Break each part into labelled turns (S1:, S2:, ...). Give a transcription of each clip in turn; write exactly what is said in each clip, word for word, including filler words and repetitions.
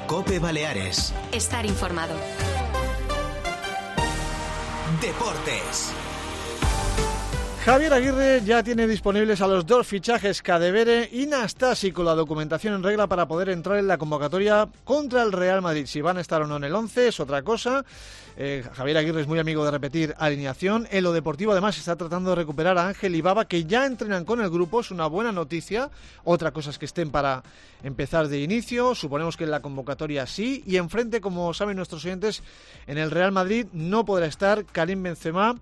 S1: COPE Baleares.
S2: Estar informado.
S1: Deportes.
S3: Javier Aguirre ya tiene disponibles a los dos fichajes Cadevere y Nastasi, con la documentación en regla para poder entrar en la convocatoria contra el Real Madrid. Si van a estar o no en el once es otra cosa. Eh, Javier Aguirre es muy amigo de repetir alineación. En lo deportivo, además, está tratando de recuperar a Ángel y Baba, que ya entrenan con el grupo. Es una buena noticia. Otra cosa es que estén para empezar de inicio. Suponemos que en la convocatoria sí. Y enfrente, como saben nuestros oyentes, en el Real Madrid no podrá estar Karim Benzema.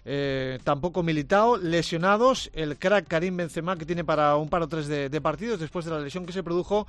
S3: Eh, tampoco Militao, lesionados. El crack Karim Benzema, que tiene para un par o tres de, de partidos después de la lesión que se produjo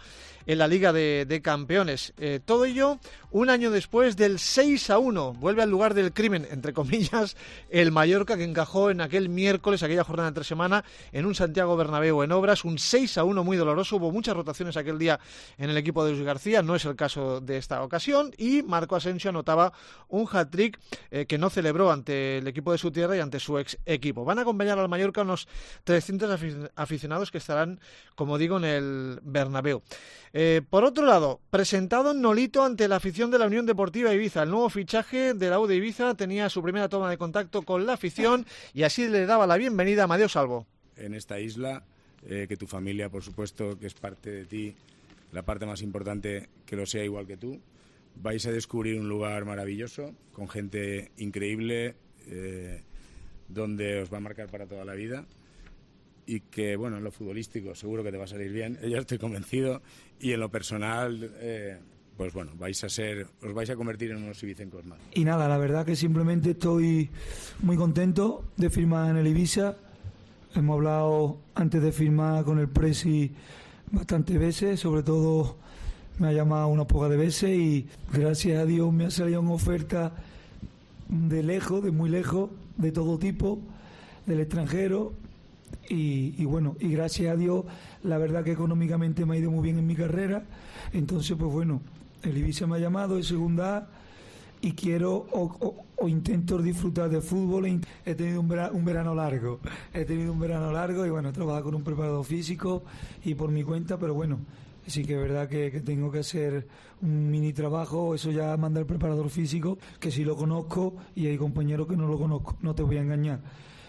S3: en la Liga de, de Campeones. Eh, todo ello un año después del seis a uno. Vuelve al lugar del crimen, entre comillas, el Mallorca, que encajó en aquel miércoles, aquella jornada de entre semana, en un Santiago Bernabéu en obras. Un seis a uno muy doloroso. Hubo muchas rotaciones aquel día en el equipo de Luis García. No es el caso de esta ocasión. Y Marco Asensio anotaba un hat-trick eh, que no celebró ante el equipo de su tierra y ante su ex equipo. Van a acompañar al Mallorca unos trescientos aficionados que estarán, como digo, en el Bernabéu. Eh, por otro lado, presentado Nolito ante la afición de la Unión Deportiva Ibiza. El nuevo fichaje de la U de Ibiza tenía su primera toma de contacto con la afición y así le daba la bienvenida a Amadeo Salvo.
S4: En esta isla, eh, que tu familia, por supuesto, que es parte de ti, la parte más importante, que lo sea igual que tú, vais a descubrir un lugar maravilloso, con gente increíble, eh, donde os va a marcar para toda la vida y que, bueno, en lo futbolístico seguro que te va a salir bien, yo estoy convencido, y en lo personal, eh, pues bueno, vais a ser, os vais a convertir en unos ibicencos más.
S5: Y nada, la verdad que simplemente estoy muy contento de firmar en el Ibiza. Hemos hablado antes de firmar con el Presi bastantes veces, sobre todo me ha llamado una poca de veces y gracias a Dios me ha salido una oferta de lejos, de muy lejos, de todo tipo, del extranjero y, y bueno, y gracias a Dios la verdad que económicamente me ha ido muy bien en mi carrera. Entonces pues bueno, el Ibiza me ha llamado de segunda A y quiero o, o, o intento disfrutar de fútbol. He tenido un verano, un verano largo he tenido un verano largo y bueno, he trabajado con un preparador físico y por mi cuenta, pero bueno, sí que es verdad que, que tengo que hacer un mini trabajo, eso ya manda el preparador físico, que sí lo conozco y hay compañeros que no lo conozco, no te voy a engañar.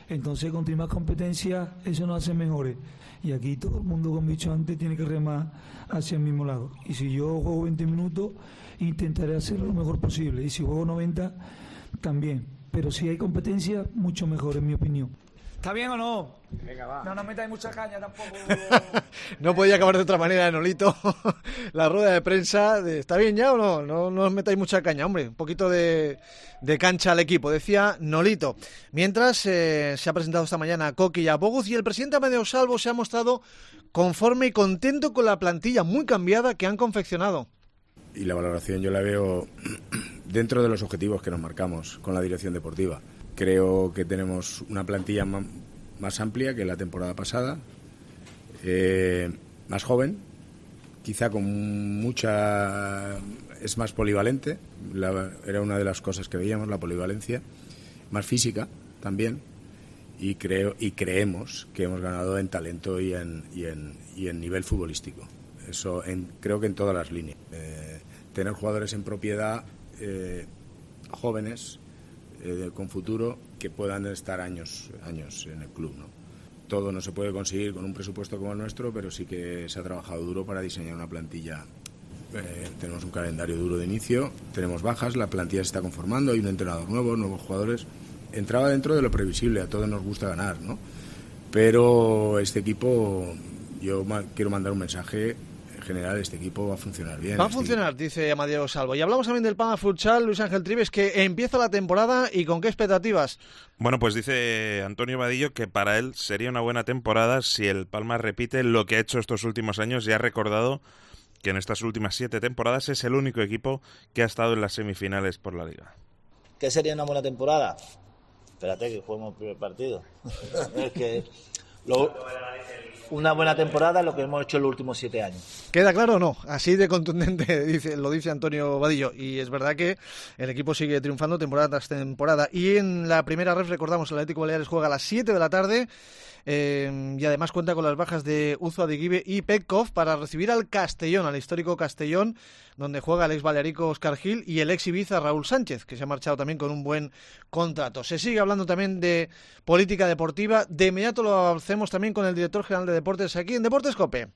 S5: Entonces, con más competencia, eso nos hace mejores. Y aquí todo el mundo, como he dicho antes, tiene que remar hacia el mismo lado. Y si yo juego veinte minutos, intentaré hacerlo lo mejor posible. Y si juego noventa, también. Pero si hay competencia, mucho mejor, en mi opinión. ¿Está bien o no?
S6: Venga, va.
S5: No nos metáis mucha caña tampoco.
S3: No podía acabar de otra manera, Nolito. La rueda de prensa, de, ¿está bien ya o no? No, no os metáis mucha caña, hombre. Un poquito de, de cancha al equipo, decía Nolito. Mientras eh, se ha presentado esta mañana a Coqui y a Boguz y el presidente Amadeo Salvo se ha mostrado conforme y contento con la plantilla muy cambiada que han confeccionado.
S4: Y la valoración yo la veo dentro de los objetivos que nos marcamos con la dirección deportiva. Creo que tenemos una plantilla más amplia que la temporada pasada, eh, más joven, quizá con mucha... es más polivalente, la, era una de las cosas que veíamos, la polivalencia, más física también, y creo y creemos que hemos ganado en talento y en, y en, y en nivel futbolístico. Eso en, creo que en todas las líneas. Eh, tener jugadores en propiedad, eh, jóvenes, Eh, con futuro, que puedan estar años años en el club, ¿no? Todo no se puede conseguir con un presupuesto como el nuestro, pero sí que se ha trabajado duro para diseñar una plantilla. Eh, tenemos un calendario duro de inicio, tenemos bajas, la plantilla se está conformando, hay un entrenador nuevo, nuevos jugadores. Entraba dentro de lo previsible, a todos nos gusta ganar, ¿no? Pero este equipo, yo ma- quiero mandar un mensaje general, este equipo va a funcionar bien.
S3: Va a
S4: este
S3: funcionar,
S4: equipo.
S3: dice Amadeo Salvo. Y hablamos también del Palma Futsal, Luis Ángel Trives, que empieza la temporada y con qué expectativas.
S7: Bueno, pues dice Antonio Vadillo que para él sería una buena temporada si el Palma repite lo que ha hecho estos últimos años y ha recordado que en estas últimas siete temporadas es el único equipo que ha estado en las semifinales por la Liga.
S8: ¿Qué sería una buena temporada? Espérate que juguemos el primer partido. Es que lo...
S2: una buena temporada lo que hemos hecho en los últimos siete años.
S3: ¿Queda claro o no? Así de contundente dice, lo dice Antonio Vadillo. Y es verdad que el equipo sigue triunfando temporada tras temporada. Y en la primera ref, recordamos, el Atlético Baleares juega a las siete de la tarde. Eh, y además cuenta con las bajas de Uzo Adiguibe y Petkov para recibir al Castellón, al histórico Castellón, donde juega el ex balearico Óscar Gil y el ex Ibiza Raúl Sánchez, que se ha marchado también con un buen contrato. Se sigue hablando también de política deportiva. De inmediato lo hacemos también con el director general de Deportes aquí en Deportes COPE.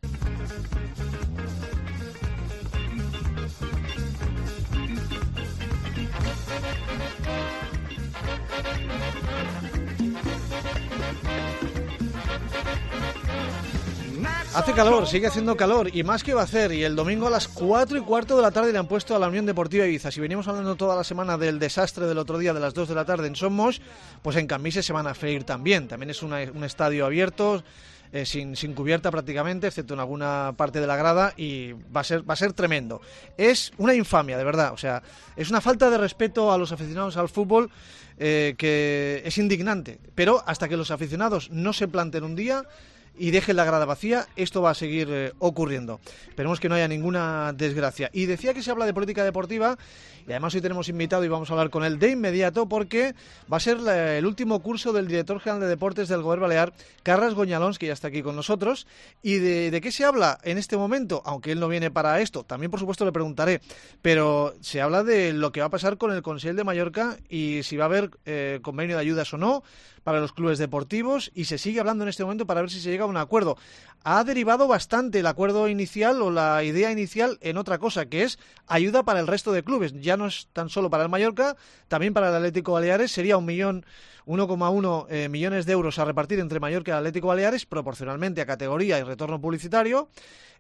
S3: Hace calor, sigue haciendo calor y más que va a hacer, y el domingo a las cuatro y cuarto de la tarde le han puesto a la Unión Deportiva Ibiza. Si venimos hablando toda la semana del desastre del otro día de las dos de la tarde en Somos, pues en Cambises se van a freír también. También es una, un estadio abierto, eh, sin, sin cubierta prácticamente, excepto en alguna parte de la grada, y va a ser, va a ser tremendo. Es una infamia, de verdad, o sea, es una falta de respeto a los aficionados al fútbol eh, que es indignante. Pero hasta que los aficionados no se planten un día y dejen la grada vacía, esto va a seguir eh, ocurriendo. Esperemos que no haya ninguna desgracia. Y decía que se habla de política deportiva, y además hoy tenemos invitado y vamos a hablar con él de inmediato, porque va a ser la, el último curso del director general de Deportes del Govern Balear, Carles Goñalons, que ya está aquí con nosotros. ¿Y de, de qué se habla en este momento? Aunque él no viene para esto, también por supuesto le preguntaré, pero se habla de lo que va a pasar con el Consell de Mallorca y si va a haber eh, convenio de ayudas o no para los clubes deportivos, y se sigue hablando en este momento para ver si se llega a un acuerdo. Ha derivado bastante el acuerdo inicial o la idea inicial en otra cosa, que es ayuda para el resto de clubes. Ya no es tan solo para el Mallorca, también para el Atlético Baleares. Sería un millón, uno coma uno eh, millones de euros a repartir entre Mallorca y el Atlético Baleares, proporcionalmente a categoría y retorno publicitario.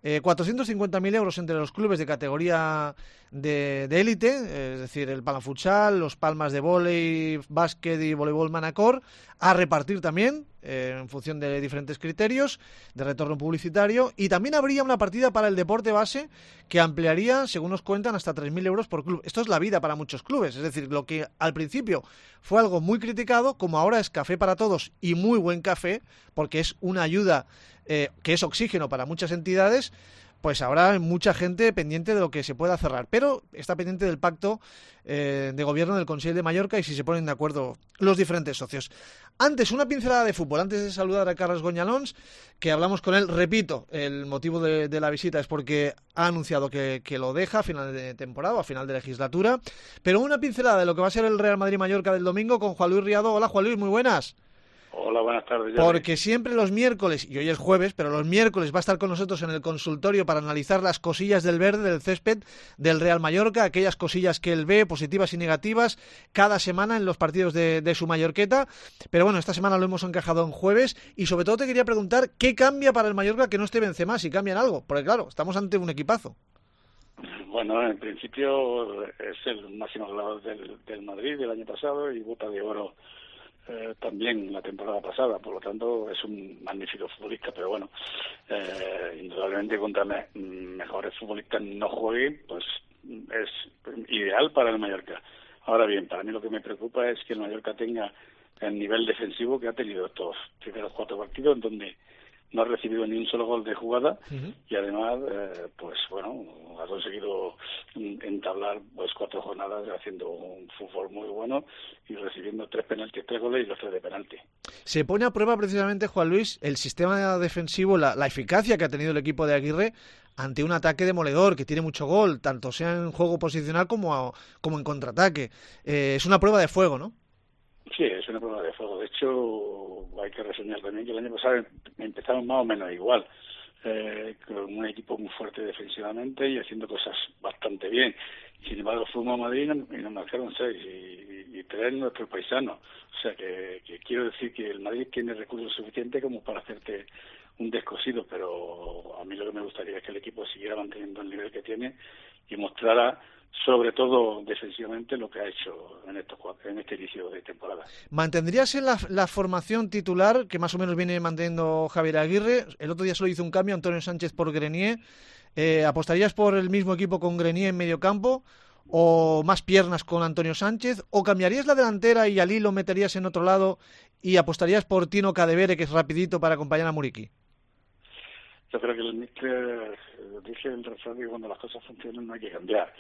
S3: Eh, cuatrocientos cincuenta mil euros entre los clubes de categoría de élite, eh, es decir, el Palafutsal, los Palmas de vóley, básquet y voleibol Manacor, a repartir también eh, en función de diferentes criterios de retorno publicitario. Y también habría una partida para el deporte base que ampliaría, según nos cuentan, hasta tres mil euros por club. Esto es la vida para muchos clubes, es decir, lo que al principio fue algo muy criticado, como ahora es café para todos y muy buen café, porque es una ayuda eh, que es oxígeno para muchas entidades. Pues habrá mucha gente pendiente de lo que se pueda cerrar, pero está pendiente del pacto eh, de gobierno del Consell de Mallorca y si se ponen de acuerdo los diferentes socios. Antes, una pincelada de fútbol, antes de saludar a Carles Goñalons, que hablamos con él. Repito, el motivo de, de la visita es porque ha anunciado que, que lo deja a final de temporada o a final de legislatura, pero una pincelada de lo que va a ser el Real Madrid-Mallorca del domingo con Juan Luis Riado. Hola, Juan Luis, muy buenas.
S6: Hola, buenas tardes.
S3: Porque siempre los miércoles, y hoy es jueves, pero los miércoles va a estar con nosotros en el consultorio para analizar las cosillas del verde, del césped, del Real Mallorca, aquellas cosillas que él ve, positivas y negativas, cada semana en los partidos de, de su Mallorqueta. Pero bueno, esta semana lo hemos encajado en jueves, y sobre todo te quería preguntar, ¿qué cambia para el Mallorca que no esté Benzema, si cambian algo? Porque claro, estamos ante un equipazo.
S6: Bueno, en principio es el máximo goleador del, del Madrid del año pasado y bota de oro Eh, también la temporada pasada, por lo tanto es un magnífico futbolista, pero bueno, eh, indudablemente contra me, mejores futbolistas no jueguen, pues es ideal para el Mallorca. Ahora bien, para mí lo que me preocupa es que el Mallorca tenga el nivel defensivo que ha tenido estos primeros cuatro partidos, en donde no ha recibido ni un solo gol de jugada. Uh-huh. Y además, eh, pues bueno, ha conseguido entablar pues cuatro jornadas haciendo un fútbol muy bueno y recibiendo tres penaltis, tres goles y los tres de penalti.
S3: Se pone a prueba precisamente, Juan Luis, el sistema defensivo, la, la eficacia que ha tenido el equipo de Aguirre ante un ataque demoledor que tiene mucho gol, tanto sea en juego posicional como, a, como en contraataque. Eh, es una prueba de fuego, ¿no?
S6: Sí, es una prueba de fuego. De hecho, hay que reseñar también que el año pasado empezamos más o menos igual, eh, con un equipo muy fuerte defensivamente y haciendo cosas bastante bien. Sin embargo, fuimos a Madrid y nos marcaron seis y, y tres nuestros paisanos. O sea, que, que quiero decir que el Madrid tiene recursos suficientes como para hacerte un descosido, pero a mí lo que me gustaría es que el equipo siguiera manteniendo el nivel que tiene y mostrara, sobre todo defensivamente, lo que ha hecho en, estos, en este inicio de temporada.
S3: ¿Mantendrías en la, la formación titular que más o menos viene manteniendo Javier Aguirre? El otro día solo hizo un cambio, Antonio Sánchez por Grenier. Eh, ¿Apostarías por el mismo equipo con Grenier en medio campo o más piernas con Antonio Sánchez? ¿O cambiarías la delantera y Ali lo meterías en otro lado y apostarías por Tino Cadevere, que es rapidito, para acompañar a Muriqui?
S6: yo creo que el míster dice el refrán que cuando las cosas funcionan no hay que cambiar.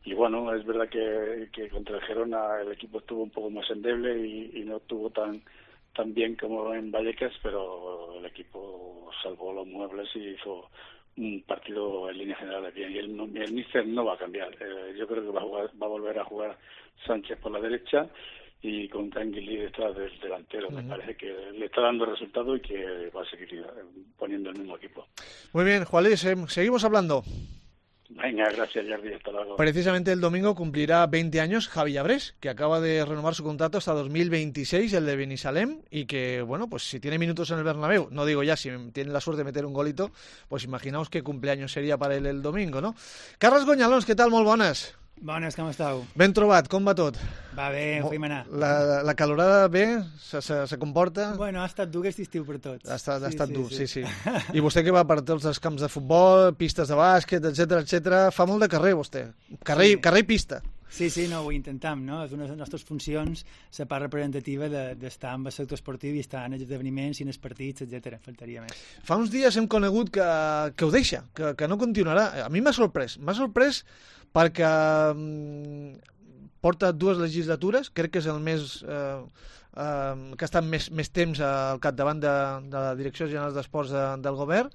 S6: Y bueno, es verdad que, que contra el Gerona el equipo estuvo un poco más endeble y, y no estuvo tan tan bien como en Vallecas, pero el equipo salvó los muebles y hizo un partido en línea general bien. Y el, el míster no va a cambiar. Eh, yo creo que va a, jugar, va a volver a jugar Sánchez por la derecha y con Canguilí detrás del delantero. Uh-huh. Me parece que le está dando resultado y que va a seguir poniendo el mismo equipo.
S3: Muy bien, Juan Luis, eh, seguimos hablando.
S6: Venga, gracias, Jordi, hasta luego.
S3: Precisamente el domingo cumplirá veinte años Javi Llabrés, que acaba de renovar su contrato hasta dos mil veintiséis, el de Binissalem, y que, bueno, pues si tiene minutos en el Bernabéu, no digo ya si tiene la suerte de meter un golito, pues imaginaos qué cumpleaños sería para él el domingo, no? Carles Gonyalons, què tal? Molt bones.
S8: Bones, com esteu?
S3: Ben trobat, com va tot?
S8: Va bé, ho fem anar.
S3: La, la calorada bé? Se, se, se comporta?
S8: Bueno, ha estat dur aquest estiu per tots.
S3: Ha estat,
S8: sí,
S3: ha estat
S8: sí,
S3: dur,
S8: sí,
S3: sí, sí. I vostè que va per tots els camps de futbol, pistes de bàsquet, etcètera, etcètera, fa molt de carrer, vostè. Carrer, sí. Carrer i pista.
S8: Sí, sí, no, ho intentam, no? És una de les nostres funcions, la part representativa d'estar de, amb el sector esportiu i estar en els esdeveniments i en els partits, etcètera. Faltaria més.
S3: Fa uns dies hem conegut que, que ho deixa, que, que no continuarà. A mi m'ha sorprès. M'ha sorprès perquè mm, porta dues legislatures, crec que és el més... Eh, eh, que ha estat més, més temps al capdavant de, de la Direcció General d'Esports de, del govern,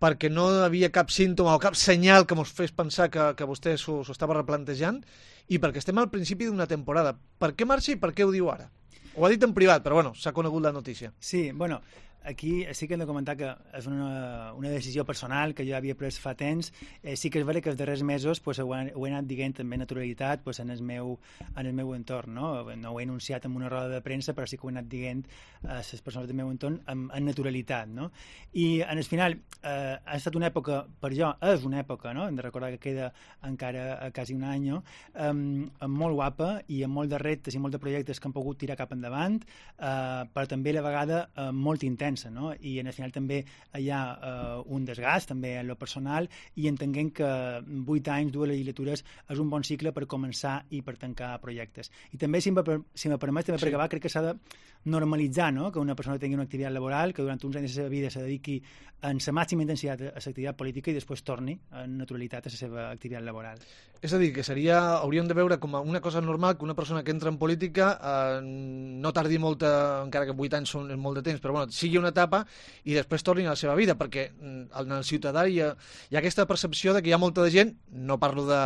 S3: perquè no hi havia cap símptoma o cap senyal que ens fes pensar que, que vostè s'ho estava replantejant, i perquè estem al principi d'una temporada. Per què marxa i per què ho diu ara? Ho ha dit en privat, però bueno, s'ha conegut la notícia.
S8: Sí, bueno, aquí sí que hem de comentar que és una, una decisió personal que jo havia pres fa temps. Eh, sí que és vera que els darrers mesos pues, ho, he, ho he anat dient també naturalitat pues, en, el meu, en el meu entorn. No? no ho he anunciat en una roda de premsa, però sí que ho he anat dient a les persones del meu entorn amb, amb naturalitat. No? I en el final eh, ha estat una època, per jo, és una època, no? Hem de recordar que queda encara a quasi un any, eh, molt guapa i amb molt de reptes i molt de projectes que han pogut tirar cap endavant, eh, però també a la vegada eh, molt intens. No? I en el final també hi ha uh, un desgast també en lo personal i entenguem que vuit anys, dues legislatures és un bon cicle per començar i per tancar projectes. I també, si me, si me permet, també sí. Per acabar, crec que s'ha de normalitzar, no? Que una persona tingui una activitat laboral, que durant uns anys de la seva vida se dediqui en la màxima intensitat a l'activitat política i després torni en naturalitat a la seva activitat laboral.
S3: És a dir, que seria, hauríem de veure com una cosa normal que una persona que entra en política eh, no tardi molta, encara que vuit anys són molt de temps, però bueno, sigui una etapa i després torni a la seva vida, perquè en el ciutadà hi ha, hi ha aquesta percepció de que hi ha molta de gent, no parlo de,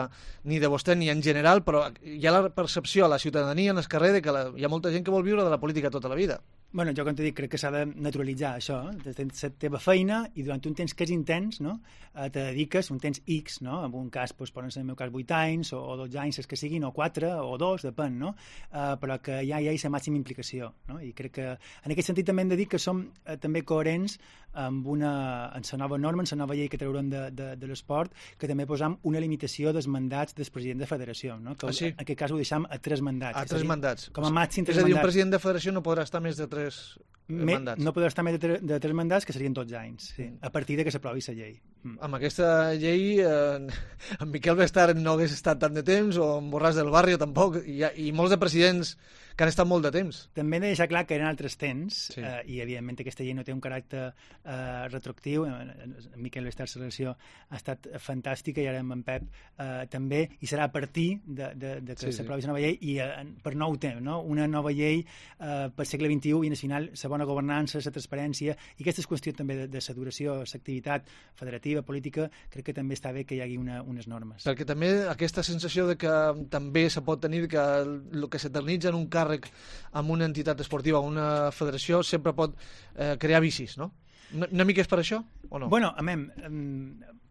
S3: ni de vostè ni en general, però hi ha la percepció a la ciutadania en el carrer de que la, hi ha molta gent que vol viure de la política tota la vida.
S8: Bueno, jo, com t'he dit, crec que s'ha de naturalitzar això. Eh? Tens la teva feina i durant un temps que és intens, no? eh, te dediques un temps X, no? En un cas, doncs, poden ser, en el meu cas, vuit anys o, o dotze anys, els que siguin, o quatre o dos, depèn, no? Eh, però que ja hi ha la màxima implicació, no? I crec que, en aquest sentit, també hem de dir que som eh, també coherents amb una, en la nova norma, en la nova llei que traurem de, de, de l'esport, que també posam una limitació dels mandats del president de federació, no? Que
S3: ah, sí?
S8: En aquest cas ho deixam a tres mandats.
S3: A tres dir, mandats.
S8: Com a màxim tres mandats.
S3: És a dir, un president de federació no podrà estar més de tres
S8: Me,
S3: mandats.
S8: No podrà estar més de, tre, de tres mandats, que serien dotze anys, sí, a partir de que s'aprovi la llei.
S3: Mm. Amb aquesta llei, eh, en Miquel Bestard no hagués estat tant de temps, o en Borràs del Barrio tampoc, i, i molts de presidents que han estat molt de temps.
S8: També he de deixar clar que eren altres temps, sí. eh, i evidentment aquesta llei no té un caràcter eh, retroactiu. En Miquel Bestard, la relació ha estat fantàstica, i ara amb en Pep eh, també, i serà a partir de, de, de que sí, s'aprovi sí. la nova llei, i eh, per nou temps, no? Una nova llei eh, pel segle vint-i-u, i al final la bona governança, la transparència, i aquestes qüestions també de, de la duració, l'activitat federativa, política, crec que també està bé que hi hagi una, unes normes.
S3: Perquè també aquesta sensació de que també se pot tenir que el que s'eternitza en un càrrec amb una entitat esportiva o una federació sempre pot eh, crear vicis, no? Una mica és per això o no?
S8: Bueno, amem,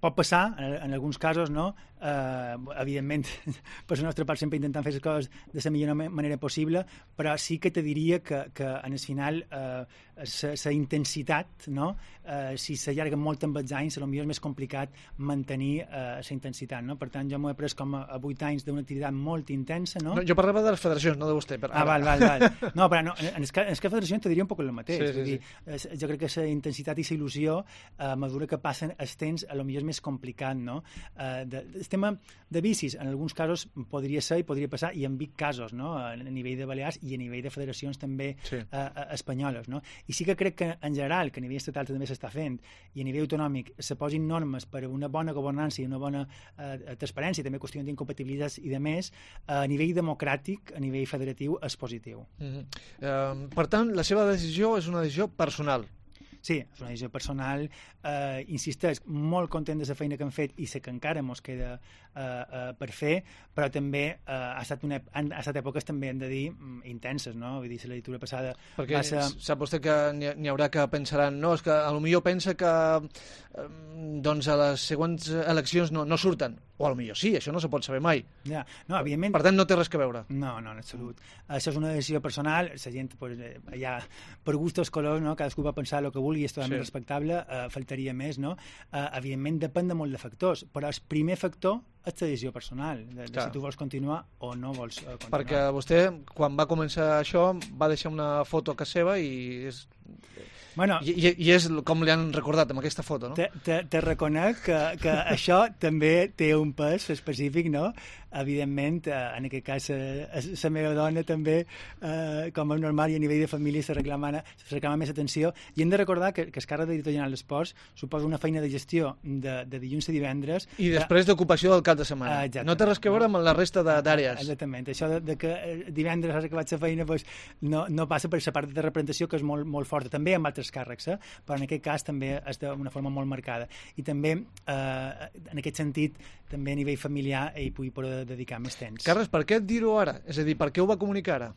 S8: pot passar en, en alguns casos, no? Eh, evidentment, per la nostra part sempre intentant fer les coses de la millor manera possible, però sí que te diria que, que en el final la eh, intensitat, no? Eh, si s'allarga molt amb els anys, potser és més complicat mantenir la eh, intensitat, no? Per tant, jo m'ho he pres com a, a vuit anys d'una activitat molt intensa, no?
S3: No, jo parlava de les federacions, no de vostè. Per...
S8: Ah, val, val, val. No, però no, en el cas de federacions te diria un poc el mateix.
S3: Sí, sí,
S8: Vull dir, sí. Jo crec que la intensitat i la il·lusió, a mesura que passen els temps, potser és més complicat, no? Eh, de, el tema de vicis, en alguns casos podria ser i podria passar, i en Vic casos, no? A nivell de Balears i a nivell de federacions també sí. eh, eh, espanyoles. No? I sí que crec que en general, que a nivell estatal també s'està fent, i a nivell autonòmic se posin normes per a una bona governança i una bona eh, transparència, també qüestions d'incompatibilitats i de més, eh, a nivell democràtic, a nivell federatiu, és positiu.
S3: Mm-hmm. eh, per tant, la seva decisió és una decisió personal.
S8: Sí, és una decisió personal. Eh, insisteix, molt content de la feina que hem fet i sé que encara ens queda eh, eh, per fer, però també eh, ha, estat una, han, ha estat èpoques també, hem de dir, intenses, no? Vull dir, la legislatura passada...
S3: Perquè
S8: ser...
S3: sap vostè que n'hi haurà que pensaran, no, és que potser pensa que eh, doncs a les següents eleccions no, no surten, o potser sí, això no se pot saber mai.
S8: Ja, no, evidentment...
S3: Per tant, no té res que veure.
S8: No, no, en absolut. Això és una decisió personal, la gent, pues, ja, per gustos colors, no? Cadascú va pensar el que vulgui, és totalment sí. respectable, eh, faltaria més, no? Eh, evidentment depèn de molt de factors, però el primer factor és la decisió personal, de, de si tu vols continuar o no vols uh, continuar.
S3: Perquè vostè, quan va començar això, va deixar una foto a casa seva i és...
S8: Bueno,
S3: I, i, I és com li han recordat amb aquesta foto, no?
S8: Te, te, te reconec que, que això també té un pes específic, no? Evidentment, en aquest cas, la meva dona també, eh, com a normal i a nivell de família, se reclama, se reclama més atenció. I hem de recordar que, que el càrrec d'editor general d'esports suposa una feina de gestió de, de dilluns a divendres.
S3: I després d'ocupació del cap de setmana.
S8: Eh,
S3: no té res que veure amb la resta d'àrees.
S8: Exactament. Això de, de que divendres has acabat la feina pues, no, no passa per la part de representació, que és molt, molt forta. També amb altres càrrecs, eh? Però en aquest cas també és d'una forma molt marcada. I també, eh, en aquest sentit, també a nivell familiar hi pugui poder dedicar més temps.
S3: Carles, per què dir-ho ara? És a dir, per què ho va comunicar ara?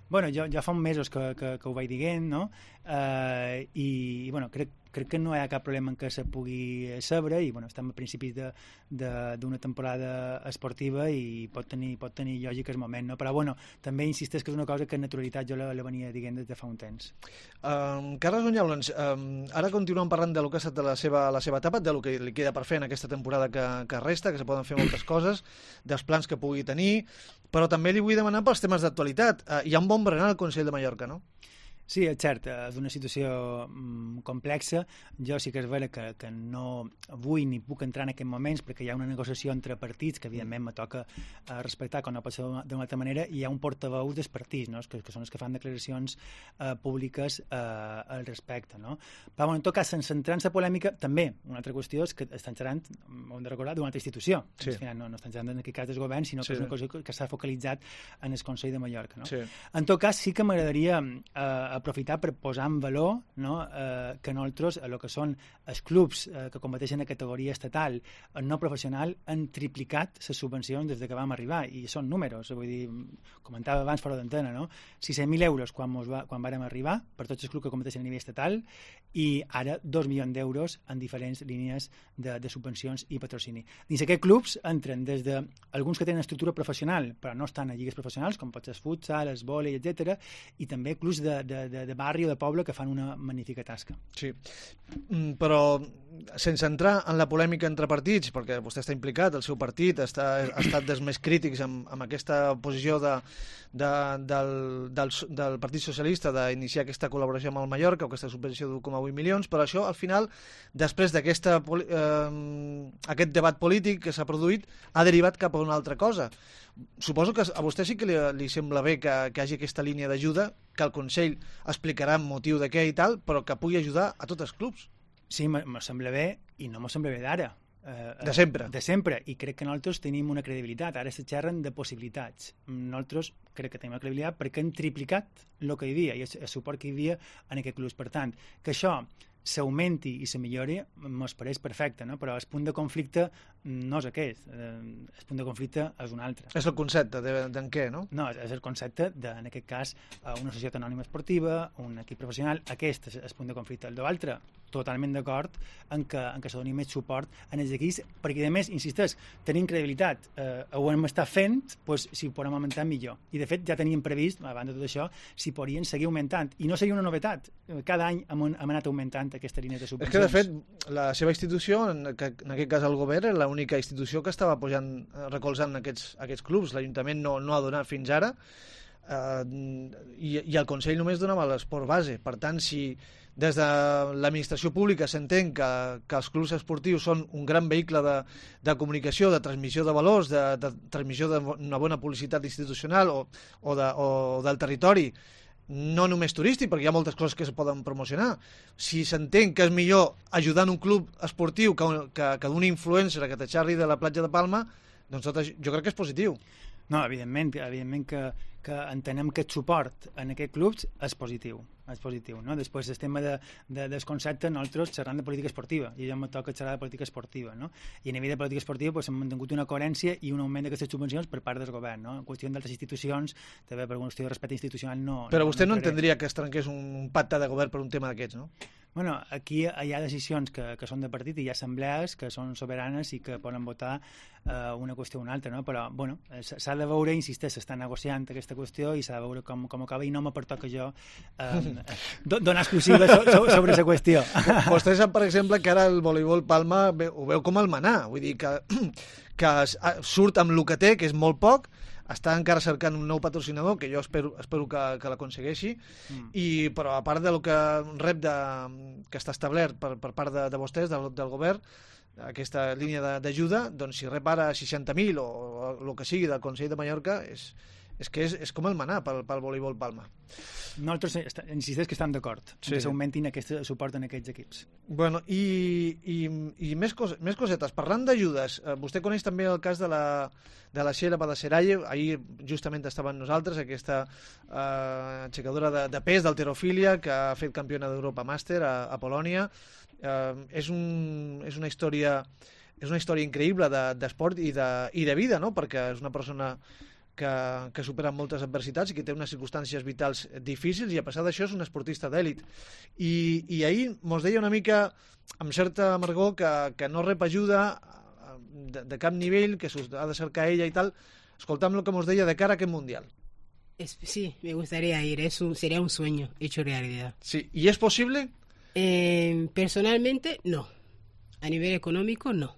S8: Bueno, jo ja fa uns mesos que, que, que ho vaig dient, no? Uh, i, i bueno, crec, crec que no hi ha cap problema en què se pugui saber i bueno, estem a principis d'una temporada esportiva i pot tenir, pot tenir lògica el moment, no? Però bueno, també insisteix que és una cosa que en naturalitat jo la, la venia dient des de fa un temps.
S3: Um, Carles Onyaules, um, ara continuem parlant de lo que ha estat la seva, la seva etapa, de lo que li queda per fer en aquesta temporada que, que resta, que se poden fer moltes coses, dels plans que pugui tenir, però també li vull demanar pels temes d'actualitat. Uh, hi ha un bon berenar al Consell de Mallorca, no?
S8: Sí, és cert, és una situació mm, complexa. Jo sí que és vera que, que no vull ni puc entrar en aquests moments perquè hi ha una negociació entre partits que evidentment me toca eh, respectar com no pot ser d'una altra manera i hi ha un portaveu dels partits, no? que, que són els que fan declaracions eh, públiques eh, al respecte. No? Però bueno, en tot cas, sense entrar en la polèmica, també una altra qüestió és que estan xerrant, ho hem de recordar, d'una altra institució. Sí. Al final no, no estan xerrant en aquest cas del govern, sinó sí. que és una cosa que s'ha focalitzat en el Consell de Mallorca. No? Sí. En tot cas, sí que m'agradaria eh, aprofitar per posar en valor no, eh, que nosaltres, el que són els clubs eh, que competeixen a categoria estatal no professional, han triplicat les subvencions des que vam arribar, i són números, vull dir, comentava abans fora d'antena, no? sis cents mil euros quan, va, quan vàrem arribar per tots els clubs que competeixen a nivell estatal i ara dos milions d'euros en diferents línies de, de subvencions i patrocini. Dins aquests clubs entren des de alguns que tenen estructura professional però no estan a lligues professionals, com pot ser el futsal, el vòlei, etcètera, i també clubs de, de, de, de barri o de poble que fan una magnífica tasca.
S3: Sí, però sense entrar en la polèmica entre partits, perquè vostè està implicat, el seu partit està, ha estat dels més crítics amb, amb aquesta posició de, de, del, del, del Partit Socialista d'iniciar aquesta col·laboració amb el Mallorca, o aquesta subvenció d'un coma vuit milions, però això, al final, després d'aquest eh, debat polític que s'ha produït, ha derivat cap a una altra cosa. Suposo que a vostè sí que li, li sembla bé que, que hi hagi aquesta línia d'ajuda, que el Consell explicarà el motiu de què i tal, però que pugui ajudar a tots els clubs.
S8: Sí, me sembla bé, i no me sembla bé d'ara.
S3: Eh, de sempre.
S8: De sempre, i crec que nosaltres tenim una credibilitat. Ara se xerren de possibilitats. Nosaltres crec que tenim una credibilitat perquè hem triplicat el que hi havia i el suport que hi havia en aquest club. Per tant, que això s'augmenti i se millori, mos pareix perfecte, no? Però el punt de conflicte no és aquest. El punt de conflicte és un altre.
S3: És el concepte d'en de, què, no?
S8: No, és el concepte de, en aquest cas, una societat anònima esportiva, un equip professional. Aquest és el punt de conflicte. El de l'altre, totalment d'acord en què, en què se doni més suport en els equips, perquè, a més, insisteix, tenim credibilitat. Eh, ho hem estat fent, doncs, si ho podem augmentar, millor. I, de fet, ja teníem previst, abans de tot això, si podrien seguir augmentant. I no seria una novetat. Cada any hem, hem anat augmentant aquesta línia de subvencions.
S3: És que, de fet, la seva institució, en, en aquest cas el govern, és l'única institució que estava pujant, recolzant aquests, aquests clubs. L'Ajuntament no, no ha donat fins ara, eh, i, i el Consell només donava l'esport base. Per tant, si des de l'administració pública s'entén que, que els clubs esportius són un gran vehicle de, de comunicació, de transmissió de valors, de, de transmissió d'una bona publicitat institucional o, o, de, o del territori, no només turístic, perquè hi ha moltes coses que es poden promocionar. Si s'entén que és millor ajudar un club esportiu que, que, que d'un influencer que te xarri de la platja de Palma, doncs tot això, jo crec que és positiu.
S8: No, evidentment, evidentment que, que entenem que el suport en aquests clubs és positiu, és positiu, no? Després el tema de, de, del concepte, nosaltres xerrant de política esportiva, i ja em toca xerrar de política esportiva, no? I a nivell de política esportiva pues, hem mantingut una coherència i un augment d'aquestes subvencions per part del govern, no? En qüestió d'altres institucions, també per una qüestió de respecte institucional no...
S3: Però
S8: no,
S3: vostè no,
S8: no
S3: entendria que es trenqués un, un pacte de govern per un tema d'aquests, no?
S8: Bueno, aquí hi ha decisions que, que són de partit i hi ha assemblees que són soberanes i que poden votar eh, una qüestió o una altra, no? Però, bueno, s'ha de veure, insisteix, s'està negociant aquesta qüestió i s'ha de veure com, com acaba i no me pertoca jo eh, donar exclusiva so, so, sobre aquesta qüestió.
S3: Vostè sap, per exemple, que ara el voleibol Palma ho veu com el manar, vull dir que, que surt amb el que té, que és molt poc, està encara cercant un nou patrocinador, que jo espero, espero que, que l'aconsegueixi, mm. i, però a part del que rep de, que està establert per, per part de, de vostès, del, del govern, aquesta línia d'ajuda, doncs si rep ara seixanta mil o, o el que sigui del Consell de Mallorca, és, és que és, és com el manar pel, pel voleibol Palma.
S8: Nosaltres insisteix que estem d'acord sí. que s'augmentin aquest suport en aquests equips.
S3: Bueno, i, i, i més, cos, més cosetes. Parlant d'ajudes, eh, vostè coneix també el cas de la, de la Xera Badaseralle. Ahir justament estava amb nosaltres, aquesta eh, aixecadora de, de pes d'halterofília que ha fet campiona d'Europa Màster a, a Polònia. Eh, és, un, és una història és una història increïble d'esport de, i, de, i de vida, no? Perquè és una persona que, que supera moltes adversitats i que té unes circumstàncies vitals difícils i a pesar d'això és un esportista d'èlit. I, i ahir mos deia una mica amb certa amargor que, que no rep ajuda de, de cap nivell, que ha de cercar ella i tal. Escoltam el que mos deia de cara a aquest Mundial.
S9: Es, sí, me gustaría ir, es un, sería un sueño hecho realidad.
S3: Sí, ¿y es posible?
S9: Eh, personalmente, no. A nivel económico, no.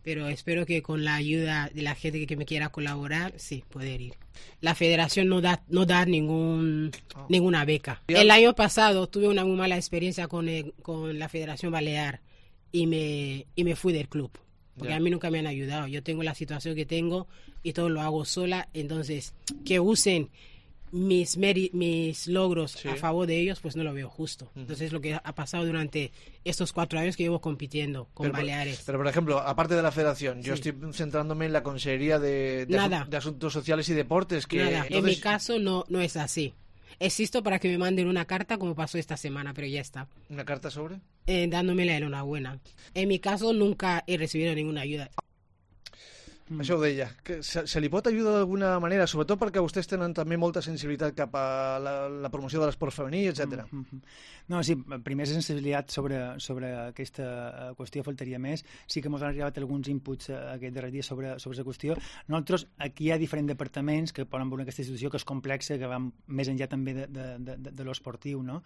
S9: Pero espero que con la ayuda de la gente que me quiera colaborar, sí, poder ir. La federación no da no da ningún oh. ninguna beca. El año pasado tuve una muy mala experiencia con el, con la Federación Balear y me y me fui del club. Porque yeah. a mí nunca me han ayudado. Yo tengo la situación que tengo y todo lo hago sola. Entonces, que usen mis mis logros sí. a favor de ellos, pues no lo veo justo. Uh-huh. Entonces, lo que ha pasado durante estos cuatro años que llevo compitiendo con
S3: pero,
S9: Baleares.
S3: Pero, por ejemplo, aparte de la federación, sí. yo estoy centrándome en la Consejería de, de,
S9: Nada.
S3: Asun- de Asuntos Sociales y Deportes. Que,
S9: Nada.
S3: entonces...
S9: En mi caso, no, no es así. Existo para que me manden una carta como pasó esta semana, pero ya está.
S3: ¿Una carta sobre?
S9: Eh, dándome la enhorabuena. En mi caso, nunca he recibido ninguna ayuda.
S3: Mm. Això ho deia. Que se, se li pot ajudar d'alguna manera, sobretot perquè vostès tenen també molta sensibilitat cap a la, la promoció de l'esport femení, etcètera.
S8: Mm -hmm. No, sí, primer sensibilitat sobre, sobre aquesta qüestió faltaria més. Sí que ens han arribat alguns inputs aquest darrer dia sobre, sobre aquesta qüestió. Nosaltres, aquí hi ha diferents departaments que poden veure aquesta institució que és complexa, que va més enllà també de, de, de, de l'esportiu, no?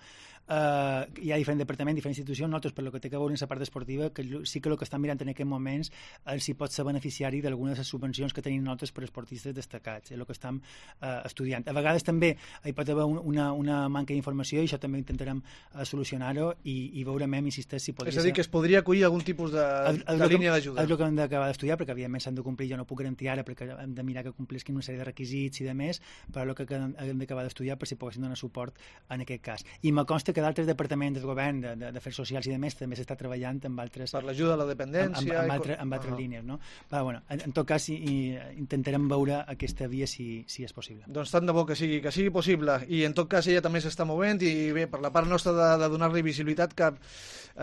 S8: Uh, hi ha diferents departaments, diferents institucions. Nosaltres, per lo que té que veure en la part esportiva, que sí que el que estan mirant en aquests moments és si pot ser beneficiari d'alguna de les subvencions que tenim nosaltres per esportistes destacats. És el que estem uh, estudiant. A vegades també hi pot haver una, una manca d'informació i això també intentarem uh, solucionar-ho i, i veurem, insisteix, si podria
S3: ser... És a dir, que es podria acollir algun tipus de, el, el de línia d'ajuda.
S8: És el que hem d'acabar d'estudiar, perquè evidentment s'han de complir, jo no puc garantir ara, perquè hem de mirar que complisquin una sèrie de requisits i de més, però el que hem d'acabar d'estudiar per si poguessin donar suport en aquest cas. I me consta que d'altres departaments del govern, de, de, d'afers socials i de més, també s'està treballant amb altres...
S3: Per l'ajuda a la dependència...
S8: Amb, amb, amb, altre, amb altres uh -huh. línies, no? Però, bueno, en, en tot cas, i, i intentarem veure aquesta via si, si és possible.
S3: Doncs tant de bo que sigui, que sigui possible. I en tot cas ella també s'està movent i bé, per la part nostra de, de donar-li visibilitat cap,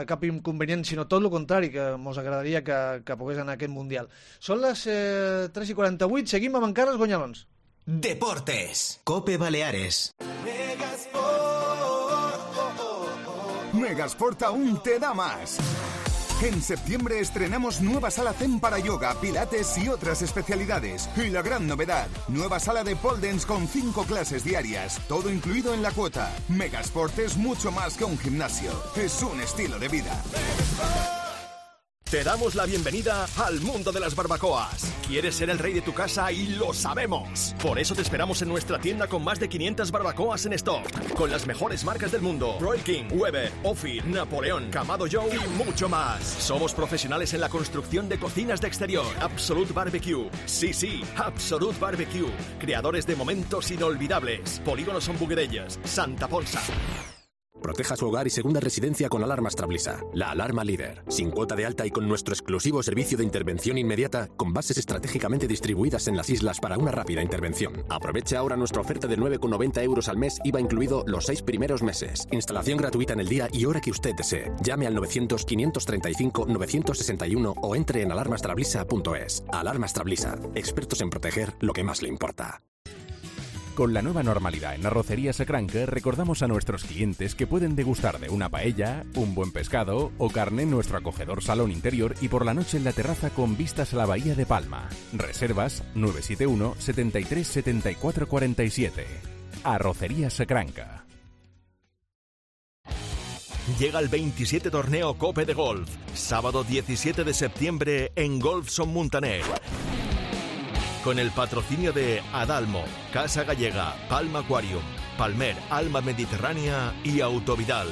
S3: cap inconvenient, sinó tot el contrari, que ens agradaria que, que pogués anar a aquest Mundial. Són les eh, tres i quaranta-vuit, seguim amb encara els guanyalons.
S1: Deportes, Cope Baleares.
S10: Megasport aún te da más. En septiembre estrenamos nueva sala Zen para yoga, pilates y otras especialidades. Y la gran novedad, nueva sala de pole dance con cinco clases diarias, todo incluido en la cuota. Megasport es mucho más que un gimnasio, es un estilo de vida.
S11: Te damos la bienvenida al mundo de las barbacoas. ¿Quieres ser el rey de tu casa? Y lo sabemos. Por eso te esperamos en nuestra tienda con más de quinientas barbacoas en stock, con las mejores marcas del mundo: Royal King, Weber, Ophir, Napoleón, Kamado Joe y mucho más. Somos profesionales en la construcción de cocinas de exterior. Absolute Barbecue. Sí, sí, Absolute Barbecue. Creadores de momentos inolvidables. Polígono Son Buguerelles, Santa Ponsa.
S12: Proteja su hogar y segunda residencia con Alarmas Trablisa, la alarma líder. Sin cuota de alta y con nuestro exclusivo servicio de intervención inmediata, con bases estratégicamente distribuidas en las islas para una rápida intervención. Aproveche ahora nuestra oferta de nueve con noventa euros al mes, I V A incluido los seis primeros meses. Instalación gratuita en el día y hora que usted desee. Llame al novecientos, quinientos treinta y cinco, novecientos sesenta y uno o entre en alarmas trablisa punto es. Alarmas Trablisa, expertos en proteger lo que más le importa.
S13: Con la nueva normalidad en Arrocería Sacranca, recordamos a nuestros clientes que pueden degustar de una paella, un buen pescado o carne en nuestro acogedor salón interior y por la noche en la terraza con vistas a la bahía de Palma. Reservas nueve siete uno, setenta y tres, setenta y cuatro cuarenta y siete. Arrocería Sacranca.
S11: Llega el veintisiete Torneo Cope de Golf, sábado diecisiete de septiembre en Golf Son Muntaner. Con el patrocinio de Adalmo, Casa Gallega, Palma Aquarium, Palmer, Alma Mediterránea y Autovidal.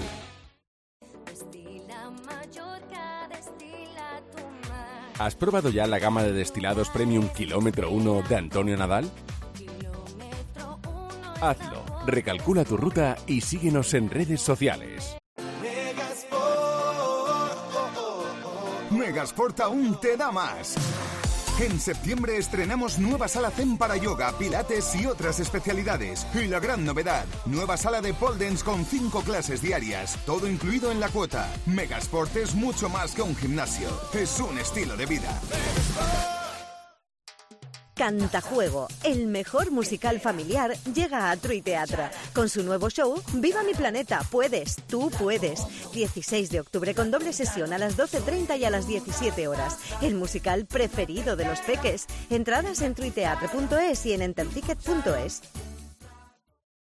S13: ¿Has probado ya la gama de destilados Premium Kilómetro uno de Antonio Nadal? Hazlo, recalcula tu ruta y síguenos en redes sociales.
S10: Megasport aún te da más. En septiembre estrenamos nueva sala Zen para yoga, pilates y otras especialidades. Y la gran novedad, nueva sala de pole dance con cinco clases diarias, todo incluido en la cuota. Megasport es mucho más que un gimnasio, es un estilo de vida.
S14: Cantajuego, el mejor musical familiar, llega a Trui Teatre. Con su nuevo show, Viva mi planeta, puedes, tú puedes. dieciséis de octubre con doble sesión a las doce treinta y a las diecisiete horas. El musical preferido de los peques. Entradas en truiteatre punto es y en enterticket punto es.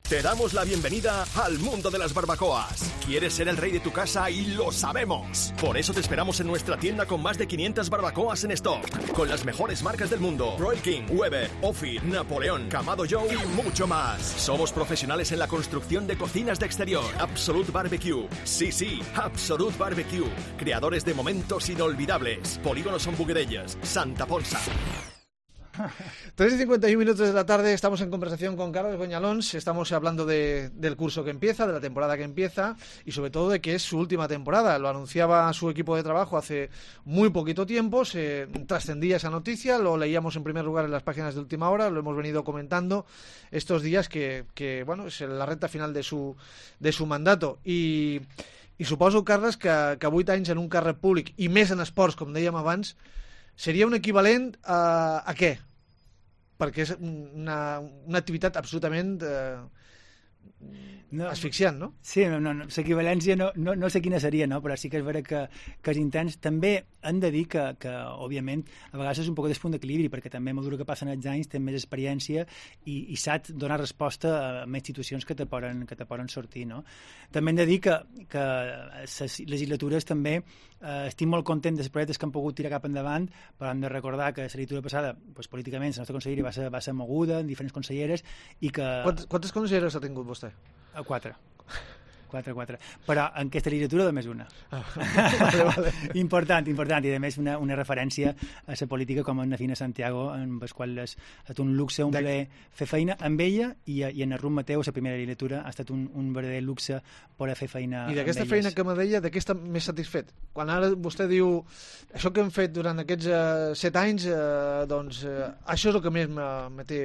S11: Te damos la bienvenida al mundo de las barbacoas. ¿Quieres ser el rey de tu casa? Y lo sabemos. Por eso te esperamos en nuestra tienda con más de quinientas barbacoas en stock, con las mejores marcas del mundo: Royal King, Weber, Ophir, Napoleón, Kamado Joe y mucho más. Somos profesionales en la construcción de cocinas de exterior. Absolute Barbecue. Sí, sí, Absolute Barbecue. Creadores de momentos inolvidables. Polígono Son Buguerelles, Santa Ponsa.
S3: tres y cincuenta y uno minutos de la tarde, estamos en conversación con Carlos Goñalons, estamos hablando de, del curso que empieza, de la temporada que empieza y sobre todo de que es su última temporada. Lo anunciaba su equipo de trabajo hace muy poquito tiempo, se trascendía esa noticia, lo leíamos en primer lugar en las páginas de Última Hora, lo hemos venido comentando estos días que, que bueno, es la recta final de su, de su mandato i, i suposo, Carles, que, que vuit anys en un càrrec públic i més en esports, com dèiem abans, seria un equivalent a, a què? Perquè és una, una activitat absolutament eh, no, asfixiant, no?
S8: Sí, no, no, l'equivalència no, no, no sé quina seria, no? Però sí que és vera que, que és intens. També hem de dir que, que, òbviament, a vegades és un poc d'espunt d'equilibri, perquè també a mesura que passen els anys tens més experiència i, i saps donar resposta a més situacions que te poden, que te poden sortir, no? També hem de dir que, que les legislatures també eh, estic molt content dels projectes que han pogut tirar cap endavant, però hem de recordar que la legislatura passada, doncs, políticament, la nostra conselleria va ser, va ser moguda en diferents conselleres i que...
S3: Quantes, quantes conselleres ha tingut vostè?
S8: Quatre. Quatre, quatre. Però en aquesta legislatura només una.
S3: Ah, vale, vale.
S8: Important, important. I a més una, una referència a la política com en Fina Santiago, en el qual és, ha estat un luxe, un plaer fer feina amb ella i, i en el Rum Mateu, la primera legislatura, ha estat un, un verdader luxe poder fer feina amb elles.
S3: I d'aquesta feina que me deia, de què està més satisfet? Quan ara vostè diu, això que hem fet durant aquests uh, set anys, uh, doncs uh, això és el que més me, me té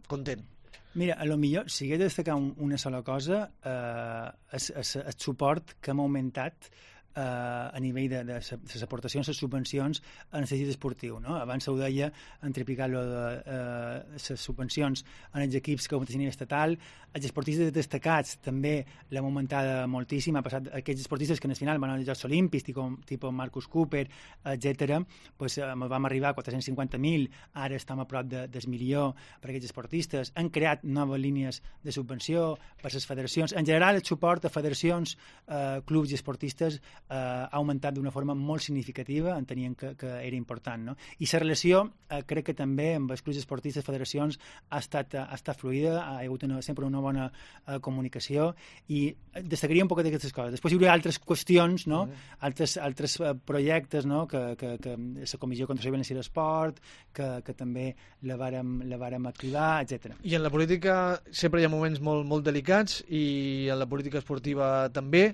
S3: content.
S8: Mira, a lo millor, si hagués de destacar un, una sola cosa, eh, és, és el suport que hem augmentat eh, a nivell de, de les aportacions, les subvencions en el teixit esportiu, no? Abans ho deia, han triplicat lo de eh, les subvencions en els equips que competeixen a nivell estatal. Els esportistes destacats també l'hem augmentada moltíssim, ha passat aquests esportistes que en el final van als Jocs Olímpics, tipus, tipus Marcus Cooper, etcètera, pues, eh, vam arribar a quatre-cents cinquanta mil, ara estem a prop de, del milió per aquests esportistes. Han creat noves línies de subvenció per les federacions. En general, el suport a federacions, eh, clubs i esportistes ha augmentat d'una forma molt significativa, entenien que, que era important, no? I la relació, eh, crec que també amb els clubs esportius, les federacions, ha estat, ha estat fluida, ha hagut una, sempre una bona eh, comunicació, i destacaria un poc d'aquestes coses. Després hi hauria altres qüestions, no? Mm. altres, altres projectes, no? que, que, que la Comissió contra la Violència i l'Esport, que, que també la vàrem, la vàrem activar, etcètera.
S3: I en la política sempre hi ha moments molt, molt delicats, i en la política esportiva també.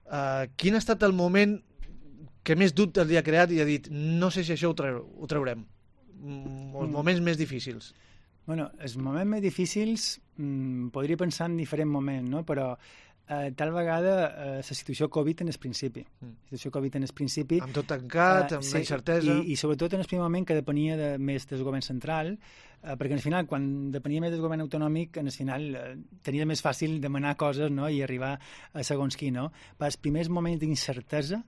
S3: Uh, quin ha estat el moment que més dubtes li ha creat i ha dit no sé si això ho, treu, ho traurem? Mm, els moments més difícils.
S8: Bueno, els moments més difícils mm, podria pensar en diferents moments, no? Però eh, tal vegada eh, la situació Covid en el principi. Mm. La situació Covid en el principi...
S3: Amb tot tancat,
S8: eh,
S3: amb
S8: sí,
S3: la incertesa...
S8: I, I sobretot en el primer moment que depenia de, més del govern central, eh, perquè al final, quan depenia més del govern autonòmic, en el final eh, tenia més fàcil demanar coses, no? I arribar a segons qui, no? Per als primers moments d'incertesa,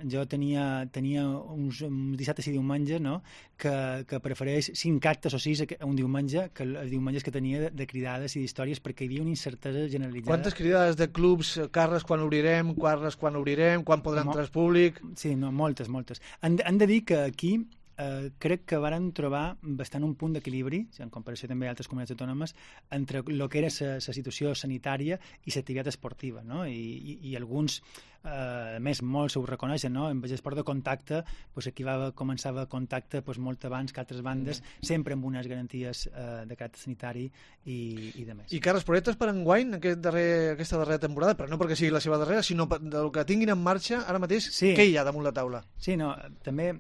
S8: jo tenia, tenia uns, uns dissabtes i diumenges, no? que, que prefereix cinc actes o sis un diumenge que els diumenges que tenia de, de cridades i d'històries, perquè hi havia una incertesa generalitzada.
S3: Quantes cridades de clubs, carres quan obrirem, carres quan obrirem, quan podrà entrar el públic?
S8: Sí, no, moltes, moltes. Han, han de dir que aquí eh, crec que varen trobar bastant un punt d'equilibri, en comparació també a altres comunitats autònomes, entre el que era la situació sanitària i l'activitat esportiva, no? I, i, i alguns, eh, a més, molts ho reconeixen, no? En esport de contacte, pues, aquí va, començava contacte pues, molt abans que altres bandes, mm. sempre amb unes garanties eh, de caràcter sanitari i, i de més.
S3: I cares projetes per enguany, aquest darrer, aquesta darrera temporada, però no perquè sigui la seva darrera, sinó del que tinguin en marxa ara mateix, sí. Què hi ha damunt la taula?
S8: Sí, no, també...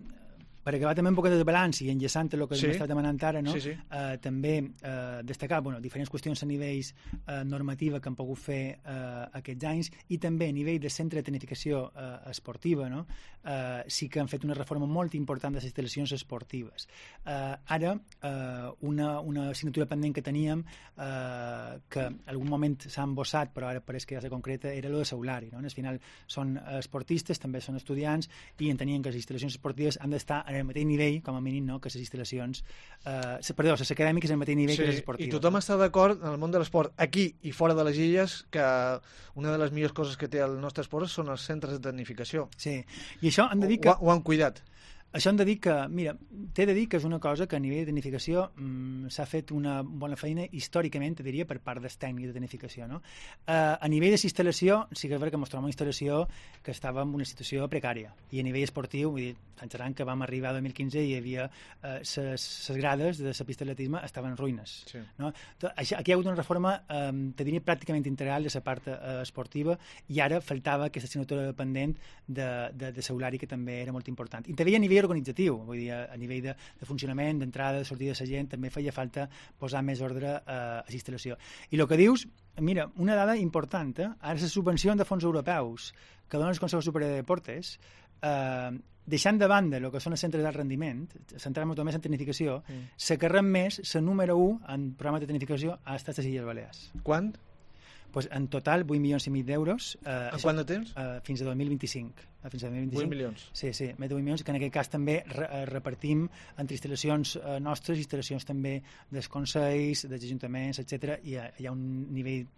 S8: Per acabar també un poc de balanç i enllaçant el que sí. m'està demanant ara, no? sí, sí. Eh, també eh, destacar bueno, diferents qüestions a nivells eh, normativa que han pogut fer eh, aquests anys, i també a nivell de centre de tecnificació eh, esportiva, no? eh, sí que han fet una reforma molt important de les instal·lacions esportives. Eh, ara, eh, una, una assignatura pendent que teníem, eh, que en algun moment s'ha embossat, però ara pareix que ja se concreta, era lo de Saulari. No? Al final són esportistes, també són estudiants, i entenien que les instal·lacions esportives han d'estar en el mateix nivell, com a mínim, no? que les instal·lacions... Eh, perdó, les acadèmiques en el mateix nivell sí, que les esportives.
S3: I tothom no? està d'acord en el món de l'esport, aquí i fora de les illes, que una de les millors coses que té el nostre esport són els centres de tecnificació.
S8: Sí, i això han de dir que...
S3: Ho, ho han cuidat.
S8: Això hem de dir que, mira, t'he de dir que és una cosa que a nivell de tecnificació mmm, s'ha fet una bona feina històricament, te diria, per part dels tècnics de tecnificació, no? Eh, a nivell de instal·lació, sí que és veritat que mostràvem una instal·lació que estava en una situació precària, i a nivell esportiu, vull dir, pensaran que vam arribar al dos mil quinze i hi havia les eh, grades de la pista d'atletisme estaven en ruïnes, sí. no? Aquí hi ha hagut una reforma, eh, te diria, pràcticament integral de la part eh, esportiva, i ara faltava aquesta assignatura pendent de, de, de Saulari, que també era molt important. I també a nivell organitzatiu, vull dir, a nivell de, de funcionament, d'entrada, de sortida de la gent, també feia falta posar més ordre eh, a la instal·lació. I el que dius, mira, una dada important, eh? Ara les subvencions de fons europeus que donen el Consell Superior de Deportes, eh, deixant de banda el que són els centres d'alt rendiment, centrant-nos només en tecnificació, mm. la que rep més, la número u en programes de tecnificació, ha estat les Illes Balears.
S3: Quant?
S8: Pues en total vuit milions i mig d'euros.
S3: Eh, en quant de temps?
S8: Eh, fins a dos mil vint-i-cinc. Eh, fins a dos mil vint-i-cinc.
S3: vuit milions.
S8: Sí, sí, més de vuit milions, que en aquest cas també re repartim entre instal·lacions eh, nostres, instal·lacions també dels consells, dels ajuntaments, etcètera, i hi ha un nivell,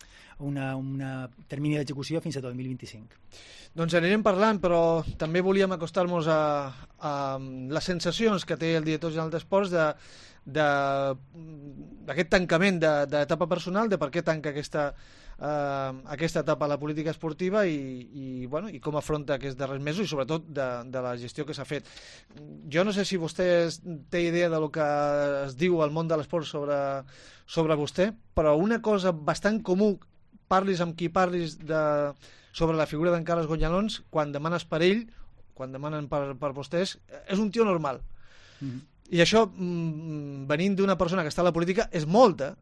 S8: una, una termini d'execució fins a dos mil vint-i-cinc.
S3: Doncs anirem parlant, però també volíem acostar-nos a, a les sensacions que té el director general d'Esports de d'aquest tancament d'etapa personal, de per què tanca aquesta, uh, aquesta etapa a la política esportiva i, i, bueno, i com afronta aquests darrers mesos i sobretot de, de la gestió que s'ha fet. Jo no sé si vostè té idea de lo que es diu al món de l'esport sobre, sobre vostè, però una cosa bastant comú, parlis amb qui parlis de, sobre la figura d'en Carles Gonyalons, quan demanes per ell, quan demanen per, per vostès, és un tio normal. Mm-hmm. I això, venint d'una persona que està a la política, és molta.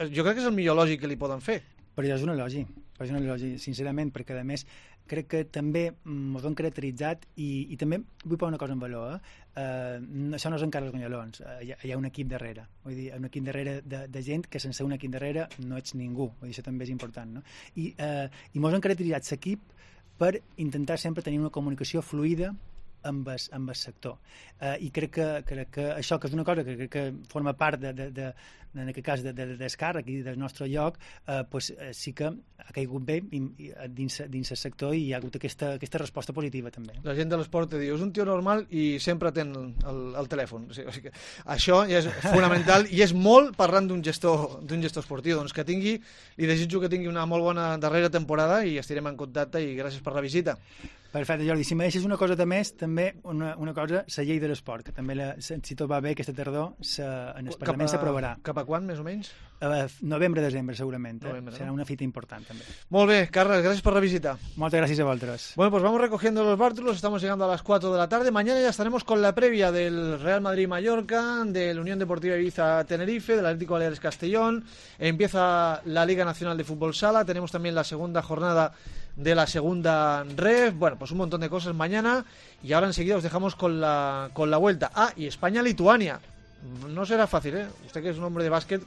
S3: Jo crec que és el millor elogi que li poden fer.
S8: Però ja és un elogi, però és un elogi, sincerament, perquè a més crec que també ens ho han caracteritzat i, i també vull posar una cosa en valor. Eh? Eh, això no és en Carles Gonyalons, eh, hi, ha, hi ha un equip darrere. Vull dir, un equip darrere de, de gent que sense un equip darrere no ets ningú. Vull dir, això també és important. No? I, eh, i ens han caracteritzat l'equip per intentar sempre tenir una comunicació fluida amb el, amb el sector. Uh, I crec que, crec que això, que és una cosa que crec que forma part, de, de, de, en aquest cas, de, de, del càrrec i del nostre lloc, uh, pues, uh, sí que ha caigut bé i, i, dins, dins el sector i hi ha hagut aquesta, aquesta resposta positiva també.
S3: La gent de l'esport te diu, és un tio normal i sempre ten el, el telèfon. O sigui, o sigui que això ja és fonamental i és molt parlant d'un gestor, d'un gestor esportiu. Doncs que tingui, li desitjo que tingui una molt bona darrera temporada i estirem en contacte i gràcies per la visita.
S8: Perfecte, Jordi. Si me deixes una cosa de més, també una, una cosa, la llei de l'esport, que també, la, si tot va bé, aquesta tardor se, en el Parlament s'aprovarà.
S3: Cap a quan, més o menys?
S8: Uh, novembre, desembre, segurament.
S3: Novembre,
S8: Serà
S3: ¿no?
S8: una fita important, també.
S3: Molt bé, Carles, gracias por la visita.
S8: Muchas gracias a vosotros.
S3: Bueno, pues vamos recogiendo los bártulos, estamos llegando a las cuatro de la tarde. Mañana ya estaremos con la previa del Real Madrid-Mallorca, del Unión Deportiva Ibiza-Tenerife, del Atlético Baleares-Castellón. Empieza la Liga Nacional de Fútbol Sala, tenemos también la segunda jornada de la segunda ref, bueno, pues un montón de cosas mañana y ahora enseguida os dejamos con la, con la vuelta. Ah, y España-Lituania. No será fácil, ¿eh? Usted que es un hombre de básquet,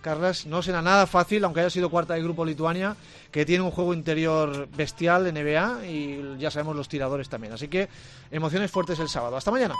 S3: Carles, no será nada fácil, aunque haya sido cuarta del grupo Lituania, que tiene un juego interior bestial, N B A, y ya sabemos los tiradores también. Así que emociones fuertes el sábado. Hasta mañana.